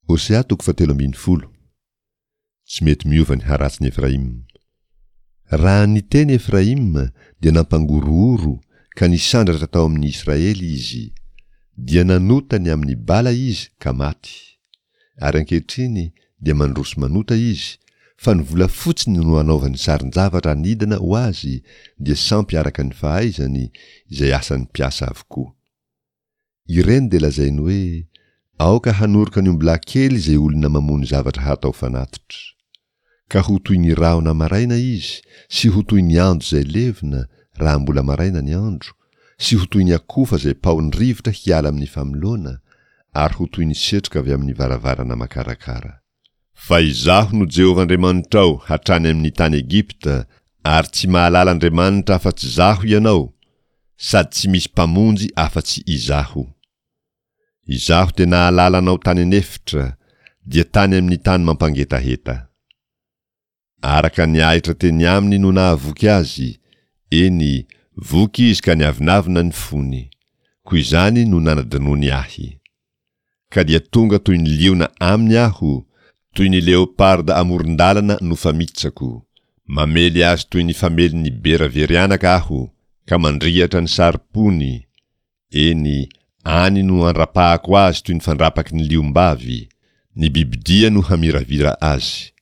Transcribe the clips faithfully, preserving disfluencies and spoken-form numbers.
Hosea toko fahatelo ambin'ny folo. Tsy mety miova ny haratsin'i Efraima. Raha niteny Efraima dia nampangorohoro ka nisandratra tao amin'ny Israely izy. Dia nanota ny amin'ny Bala izy ka maty. Ary ankehitriny dia mandroso manota izy, fa ny volafotsiny no anaovany sarin-javatra anidina ho azy, dia sampy araka ny fahaizany, izay asan'ny mpiasa avokoa. Ireny dia lazainy hoe, Aoka hanoroka ny ombilahy kely izay olona mamono zavatra hatao fanatitra. Ka ho toy ny rahona maraina izy, sy ho toy ny ando izay levona, raha mbola maraina ny andro, sy ho toy ny akofa izay paohin'ny rivotra hiala amin'ny famoloana, ary ho toy ny setroka avy amin'ny varavarana makarakara. Fa Izaho no Jehovah Andriamanitrao hatrany amin'ny tany Egypta, ary tsy mahalala Andriamanitra afa-tsy Izaho ianao, sady tsy misy Mpamonjy afa-tsy Izaho. Izaho dia nahalala anao tany an'efitra, dia tany amin'ny tany mampangetaheta. Araka ny ahitra teny aminy no nahavoky azy, eny, voky izy ka niavonavona ny fony. Koa izany no nanadinoany ahy. Ka dia tonga toy ny liona aminy aho, toy ny leoparda amoron-dalana no famitsako. Mamely azy toy ny famelin'ny bera very anaka aho, ka mandriatra ny sarom-pony, eny, any no andrapahako azy toy ny fandrapaky ny liom-bavy, ny bibidia no hamiravira azy.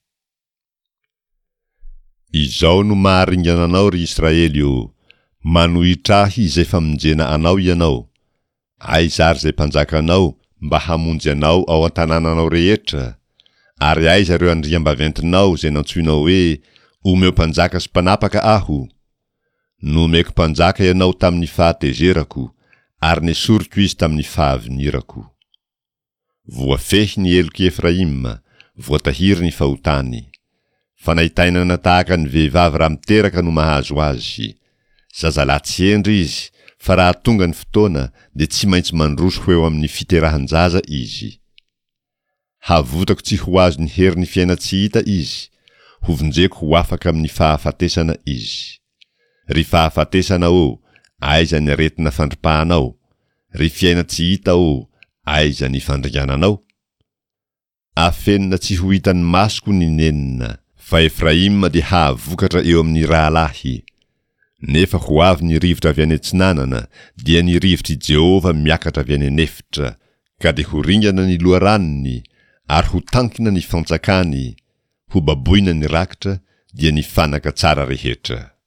Izao no maharingana anao, ry Israely ô, manohitra ahy izay famonjena anao ianao. Aiza ary izay mpanjakanao mba hamonjy anao ao an-tanànanao rehetra? Ary aiza ireo andriambaventinao izay nantsoinao hoe, Omeo mpanjaka sy mpanapaka aho? Nomeko mpanjaka ianao tamin'ny fahatezerako, ary nesoriko izy tamin'ny fahavinirako. Voafehy ny helok'i Efraima, voatahiry ny fahotany. Fanaintainana tahaka ny vehivavy raha miteraka no mahazo azy. Zazalahy tsy hendry izy, fa raha tonga ny fotoana dia tsy maintsy mandroso ho eo amin'ny fiterahan-jaza izy. Havotako tsy ho azon'ny herin'ny fiainan-tsy hita izy, hovonjeko ho afaka amin'ny fahafatesana izy. Ry fahafatesana ô, aiza ny aretina fandripahanao? Ry fiainan-tsy hita ô, aiza ny fandringananao? Afenina tsy ho hitan'ny masoko ny nenina, fa Efraima dia hahavokatra eo amin'ny rahalahy. Nefa ho avy ny rivotra avy any atsinanana, dia ny rivotr'i Jehovah miakatra avy any an'efitra, ka dia ho ringana ny loharanony, ary ho tankina ny fantsakany, hobaboina ny rakitra, dia ny fanaka tsara rehetra.